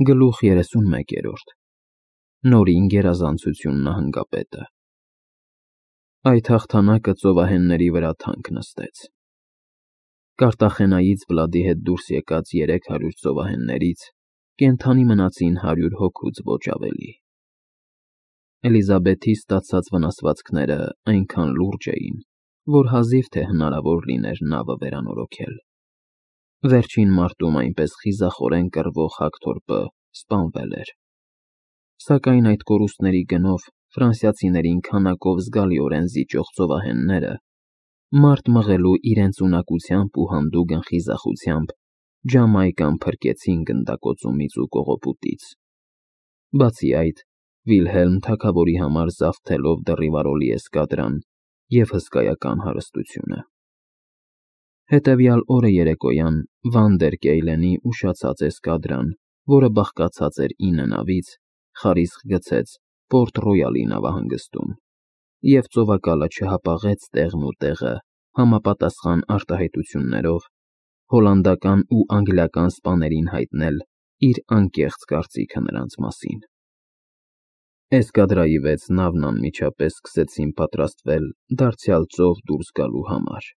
Գլուխ 31 Նորին գերազանցություն նահանգապետը Այդ հաղթանակը ծովահենների վրա թանկ նստեց։ Կարտախենայից Վլադի հետ դուրս եկած 300 ծովահեններից կենդանի մնացին 100 հոգուց ոչ ավելի։ Էլիզաբեթի ստացած վնասվածքները այնքան լուրջ էին, որ հազիվ թե հնարավոր լիներ նավը վերանորոգել։ Վերջին մարտում այնպես խիզախորեն կռվող Հակթորպը սպանվել էր։ Սակայն այդ կորուստների գնով ֆրանսիացիներին քանակով զգալիորեն զիջող ծովահենները մարտ մղելու իրենց ունակությամբ ու հանդուգն խիզախությամբ Ջամայկան փրկեցին գնդակոծումից ու կողոպուտից։ Բացի այդ, Վիլհելմ թագավորի համար զավթելով դեռիվարոլի էսկադրան և հսկայական հարստությունը։ Հետևյալ օրը երեկոյան Վան դեր Կեյլենի ուշացած էսկադրան, որը բաղկացած էր 9 նավից, խարիսխ գցեց Պորտ Ռոյալի նավահանգստում, և ծովակալը չհապաղեց տեղն ու տեղը համապատասխան արտահայտություններով հոլանդական ու անգլիական սպաներին հայտնել իր անկեղծ կարծիքը նրանց մասին։ Էսկադրայի 6 նավն անմիջապես սկսեցին պատրաստվել դարձյալ ծով դուրս գալու համար։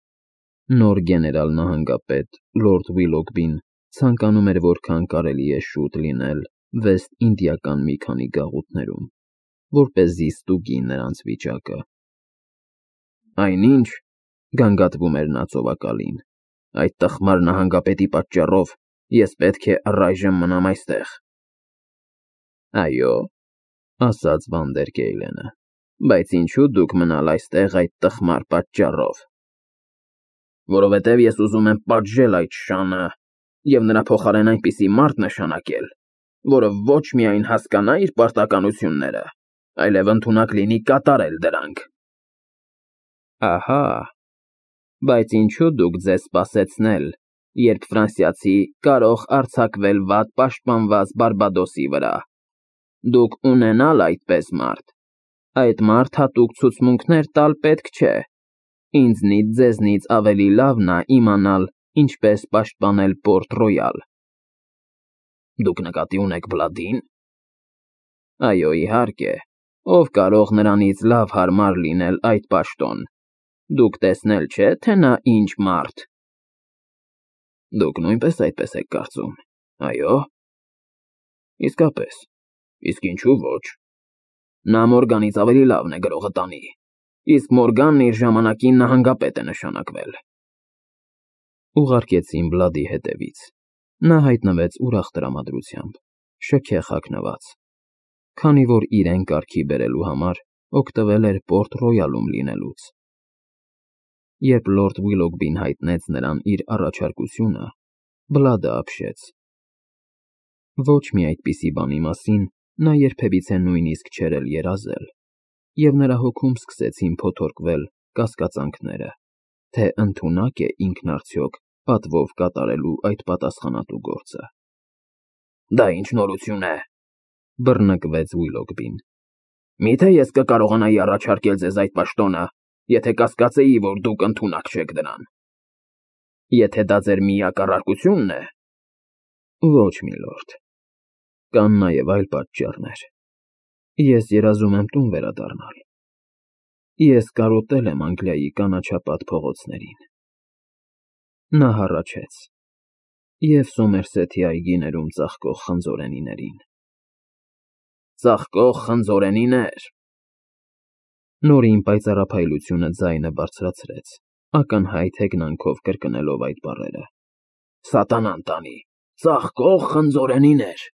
Նոր գեներալ֊նահանգապետ Լորդ Վիլոգբին ցանկանում էր որքան կարելի է շուտ լինել Վեստ Ինդիական մի քանի գաղութներում, որպեսզի ստուգի նրանց վիճակը։ Այնինչ, գանգատվում էր նա ծովակալին, այդ տխմար նահանգապետի պատճառով ես պետք է առայժմ մնամ այստեղ։ Այո, ասաց Վան դեր Կեյլենը, բայց ինչու դուք մնալ այստեղ այդ տխմար պատճառով։ Որովհետև ես ուզում եմ պատժել այդ շանը և նրա փոխարեն այնպիսի մարդ նշանակել, որը ոչ միայն հասկանա իր պարտականությունները, այլև ընդունակ լինի կատարել դրանք։ Ահա, բայց ինչու դուք ձեզ սպասեցնել, երբ ֆրանսիացի կարող արձակվել վատ պաշտպանված Բարբադոսի վրա։ Դուք ունենալ այդպես մարդ, այդ մարդ հատուկ ցուցմունքներ տալ պետք չէ։ Ինձնից ձեզնից ավելի լավն է իմանալ, ինչպես պաշտպանել Պորտ Ռոյալ։ Դուք նկատի ունեք Վլադին։ Այո, իհարկե, ով կարող նրանից լավ հարմար լինել այդ պաշտոն։ Դուք տեսնել չէ, թե նա ինչ մարդ։ Դուք նույնպես այդպես եք կարծում, այո։ Իսկապես, իսկ ինչու ոչ։ Նա Մորգանից ավելի լավն է գրողը տանի, իսկ Մորգանն իր ժամանակին նահանգապետ է նշանակվել։ Ուղարկեցին Վլադի հետևից։ Նա հայտնվեց ուրախ տրամադրությամբ, շքեղ հագնված, քանի որ իրեն կարգի բերելու համար օգտվել էր Պորտ Ռոյալում լինելուց։ Երբ Լորդ Վիլոգբին հայտնեց նրան իր առաջարկությունը, Վլադը ապշեց։ Ոչ մի այդպիսի բանի մասին նա երբևիցե նույնիսկ չէր էլ երազել, և նրա հոգում սկսեցին փոթորկվել կասկածանքները, թե ընդունակ է ինքն արդյոք պատվով կատարելու այդ պատասխանատու գործը։ Դա ինչ նորություն է, բռնկվեց Վիլոգբին։ Միթե ես կկարողանայի առաջարկել ձեզ այդ պաշտոնը, եթե կասկածեի, որ դուք ընդունակ չեք դրան։ Եթե դա ձեր միակ առարկությունն է։ Ոչ, միլորդ, կան նաև այլ պատճառներ։ Ես երազում եմ տուն վերադառնալ։ Ես կարոտել եմ Անգլիայի կանաչապատ փողոցներին։ Նա հառաչեց և Սոմերսեթի այգիներում ծաղկող խնձորենիներին։ Ծաղկող խնձորենիներ։ Նորին պայծառափայլությունը ձայնը բարձրացրեց, ակնհայտ հեգնանքով կրկնելով այդ բառերը։ Սատանան տանի, ծաղկող խնձորենիներ։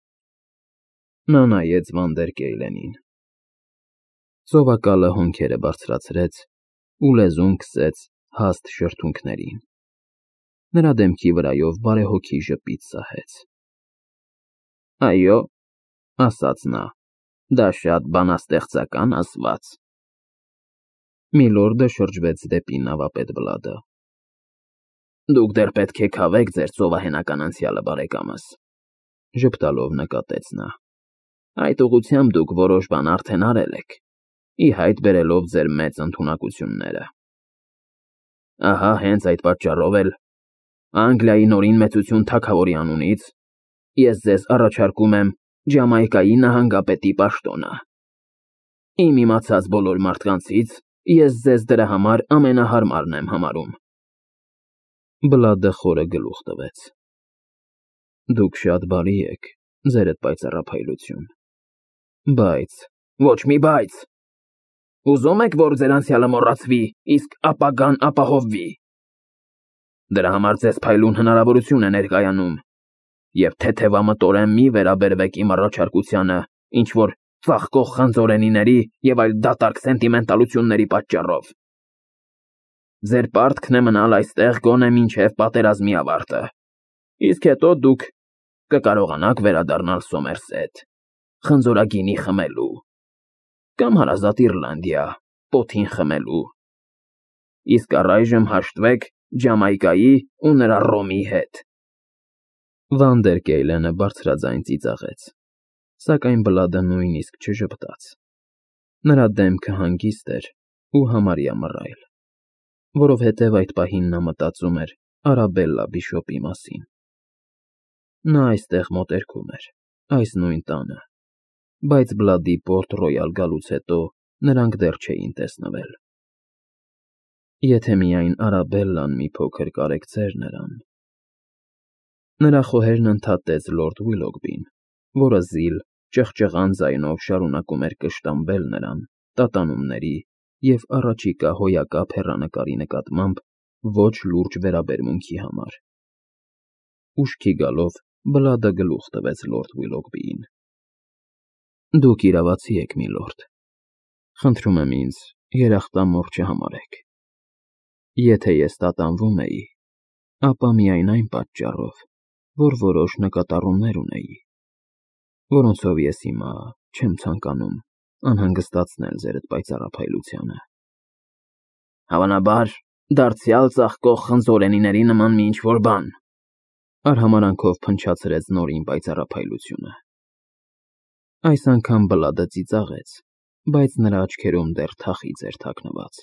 Նա նայեց Վան դեր Կեյլենին։ Ծովակալը հոնքերը բարձրացրեց ու լեզուն քսեց հաստ շրթունքներին։ Նրա դեմքի վրայով բարեհոգի ժպիտ սահեց։ Այո, ասաց նա, դա շատ բանաստեղծական ասված։ Միլորդը շրջվեց դեպի նավապետ Վլադը։ Դուք դեռ պետք է քավեք ձեր ծովահենական անցյալը, բարեկամս, ժպտալով նկատեց նա։ Այդ ուղղությամբ դուք որոշ բան արդեն արել եք, ի հայտ բերելով ձեր մեծ ընդունակությունները։ Ահա հենց այդ պատճառով էլ Անգլիայի նորին մեծություն թագավորի անունից ես ձեզ առաջարկում եմ Ջամայկայի նահանգապետի պաշտոնը։ Իմ իմացած բոլոր մարդկանցից ես ձեզ դրա համար ամենահարմարն եմ համարում։ Բլադը խորը գլուխ տվեց։ Դուք շատ բարի եք, ձերդ պայծառափայլություն։ Բայց, ոչ մի բայց։ Ուզում եք, որ ձեր անցյալը մոռացվի, իսկ ապագան ապահովվի։ Դրա համար ձեզ փայլուն հնարավորություն է ներկայանում, եւ թեթևամտորեն մի վերաբերվեք իմ առաջարկությանը, ինչ որ ծաղկող խնձորենիների եւ այլ դատարկ սենտիմենտալությունների պատճառով։ Ձեր պարտքն է մնալ այստեղ գոնե մինչև պատերազմի ավարտը, իսկ հետո դուք կկարողանաք վերադառնալ Սոմերսեթ, խնձորագինի խմելու, կամ հարազատ Իռլանդիա, պոթին խմելու, իսկ առայժմ հաշտվեք Ջամայկայի ու նրա Ռոմի հետ։ Վանդերկեյլենը բարձրաձայն ծիծաղեց, սակայն Բլադը նույնիսկ չժպտաց։ Նրա դեմքը հանգիստ էր ու համարյա մռայլ, որովհետև այդ պահին նա մտածում էր Արաբելլա Բիշոպի մասին։ Նա այստեղ մոտերքում էր, այս նույն տանը, բայց Բլադի Պորտ Ռոյալ գալուց հետո նրանք դեռ չէին տեսնվել։ Եթե միայն Արաբելլան մի փոքր կարեկցեր նրան։ Նրա խոհերն ընդհատեց լորդ Ուիլոգբին, որը զիլ, ճղճղան ձայնով շարունակում էր կշտամբել նրան տատանումների և առաջիկա հոյակապ հեռանկարի նկատմամբ ոչ լուրջ վերաբերմունքի համար։ Ուշքի գալով Բլադը գլուխ տվեց լորդ Ուիլոգբիին։ Դուք իրավացի եք, միլորդ։ Խնդրում եմ ինձ երախտամոռ չհամարեք։ Եթե ես տատանվում էի, ապա միայն այն պատճառով, որ որոշ նկատառումներ ունեի, որոնցով ես հիմա չեմ ցանկանում անհանգստացնել ձերդ պայծառափայլությանը։ Հավանաբար, դարձյալ ծաղկող խնձորենիների նման մի ինչ-որ բան, արհամարանքով փնչացրեց նորին պայծառափայլությունը։ Այս անգամ Բլադը ծիծաղեց, բայց նրա աչքերում դեռ թախիծ էր թաքնված։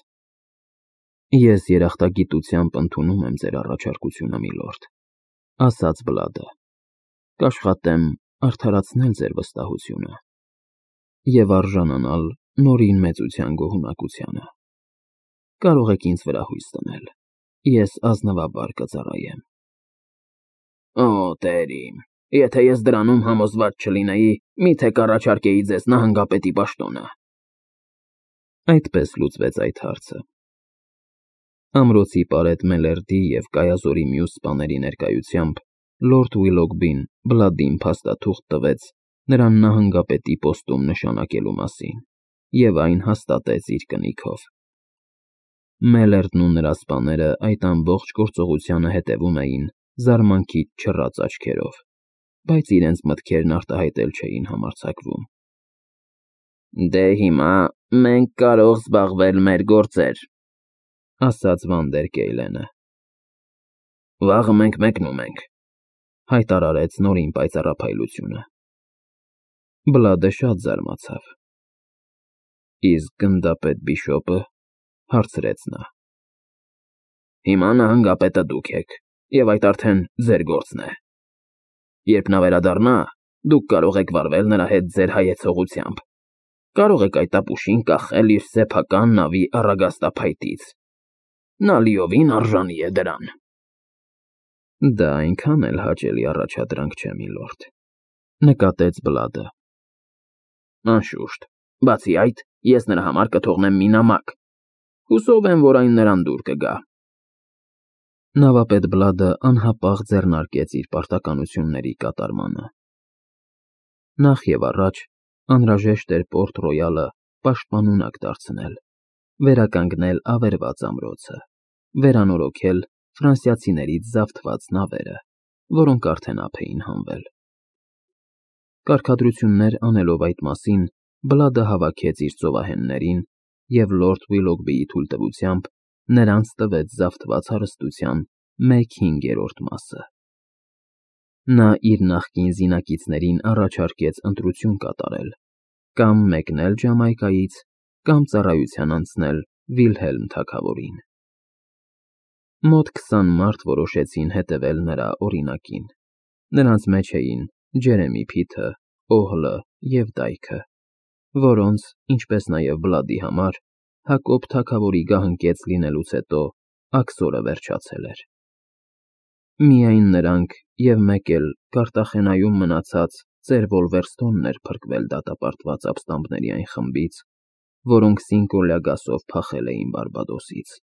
Ես երախտագիտությամբ ընդունում եմ ձեր առաջարկությունը, միլորդ, ասաց Բլադը։ Կաշխատեմ արդարացնել ձեր վստահությունը և արժանանալ նորին մեծության գոհունակությանը։ Կարող եք ինձ վրա հույս դնել, ես ազնվաբար կծառայեմ։ Օ, Տեր իմ, եթե ես դրանում համոզված չլինեի, միթե կառաջարկեի ձեզ նահանգապետի պաշտոնը։ Այդպես լուծվեց այդ հարցը։ Ամրոցի պարետ Մելերդի և Կայազորի մյուս սպաների ներկայությամբ լորդ Ուիլոգբին Բլադին փաստաթուղթ տվեց նրան նահանգապետի պոստում նշանակելու մասին և այն հաստատեց իր կնիքով։ Մելերդն ու նրա սպաները այդ ամբողջ գործողությանը հետևում էին զարմանքից չռած աչքերով, բայց իրենց մտքերն արտահայտել չէին համարձակվում։ Դե հիմա մենք կարող զբաղվել մեր գործեր, ասաց Վանդերկեյլենը։ Վաղը մենք մեկնում ենք, հայտարարեց նորին պայծառափայլությունը։ Բլադը շատ զարմացավ։ Իսկ գնդապետ Բիշոպը, հարցրեց նա։ Հիմա նահանգապետը դուք եք, և այդ արդեն ձեր գործն է։ Երբ նա վերադառնա, դուք կարող եք վարվել նրա հետ ձեր հայեցողությամբ, կարող եք այդ ապուշին կախել իր սեփական նավի առագաստափայտից։ Նա լիովին արժանի է դրան։ Դա այնքան էլ հաճելի առաջադրանք չէ, միլորդ, նկատեց Բլադը։ Անշուշտ, բացի այդ, ես նրա համար կթողնեմ մի նամակ։ Հուսով եմ, որ այն նրան դուր կգա։ Նավապետ Բլադը անհապաղ ձեռնարկեց իր պարտականությունների կատարմանը։ Նախ և առաջ անհրաժեշտ էր Պորտ Ռոյալը պաշտպանունակ դարձնել, վերականգնել ավերված ամրոցը, վերանորոգել ֆրանսիացիներից զավթված նավերը, որոնք արդեն ափ էին հանվել։ Կարգադրություններ անելով այդ մասին, Բլադը հավաքեց իր ծովահեններին և լորդ Ուիլոգբիի թույլտվությամբ նրանց տվեց զավթված հարստության 1/5 մասը։ Նա իր նախկին զինակիցներին առաջարկեց ընտրություն կատարել, կամ մեկնել Ջամայկայից, կամ ծառայության անցնել Վիլհելմ թագավորին։ Մոտ 20 մարդ որոշեցին հետևել նրա օրինակին։ Նրանց մեջ էին Ջերեմի Փիթը, Օհլը և Դայքը, որոնց, ինչպես նաև Բլադի համար, Հակոբ թագավորի գահընկեց լինելուց հետո աքսորը վերջացել էր։ Միայն նրանք և մեկ էլ Կարտախենայում մնացած ծեր Վոլվերստոնն էր փրկվել դատապարտված ապստամբների այն խմբից, որոնք Սինկոլյա գասով փախել էին Բարբադոսից։